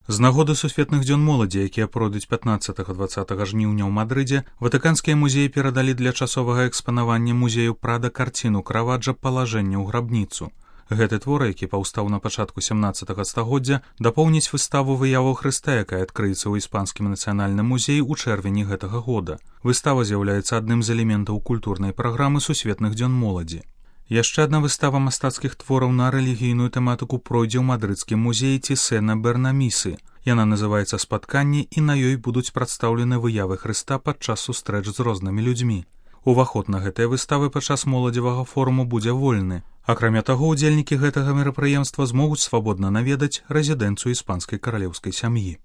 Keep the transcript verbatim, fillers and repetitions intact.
З нагоды сусветных дзён моладзі, якія пройдуць пятнаццатага-дваццатага жніўня ў Мадрыдзе, ватыканскія музеі перадалі для часовага экспанавання музею Прада карціну Караваджа «Палажэнне ў грабніцу». Гэты твор, які паўстаў на пачатку сямнаццатага стагоддзя, дапоўніць выставу выяву Хрыста, якая адкрыецца ў іспанскім нацыянальным музеі ў чэрвені гэтага года. Выстава з'яўляецца адным з элементаў культурнай праграмы сусветных дзён моладзі. Яшчэ адна выстава мастацкіх твораў на рэлігійную тэматыку пройдзе ў мадрыдскім музеі Тисена Бернамісы. Яна называецца «Спатканне», і на ёй будуць прадстаўлены выявы Хрыста падчас сустрэч з рознымі людзьмі. Уваход на гэтыя выставы падчас моладзевага форуму будзе вольны. Акрамя таго, удзельнікі гэтага мерапрыемства змогуць свабодна наведаць рэзідэнцыю іспанскай каралеўскай сям'і.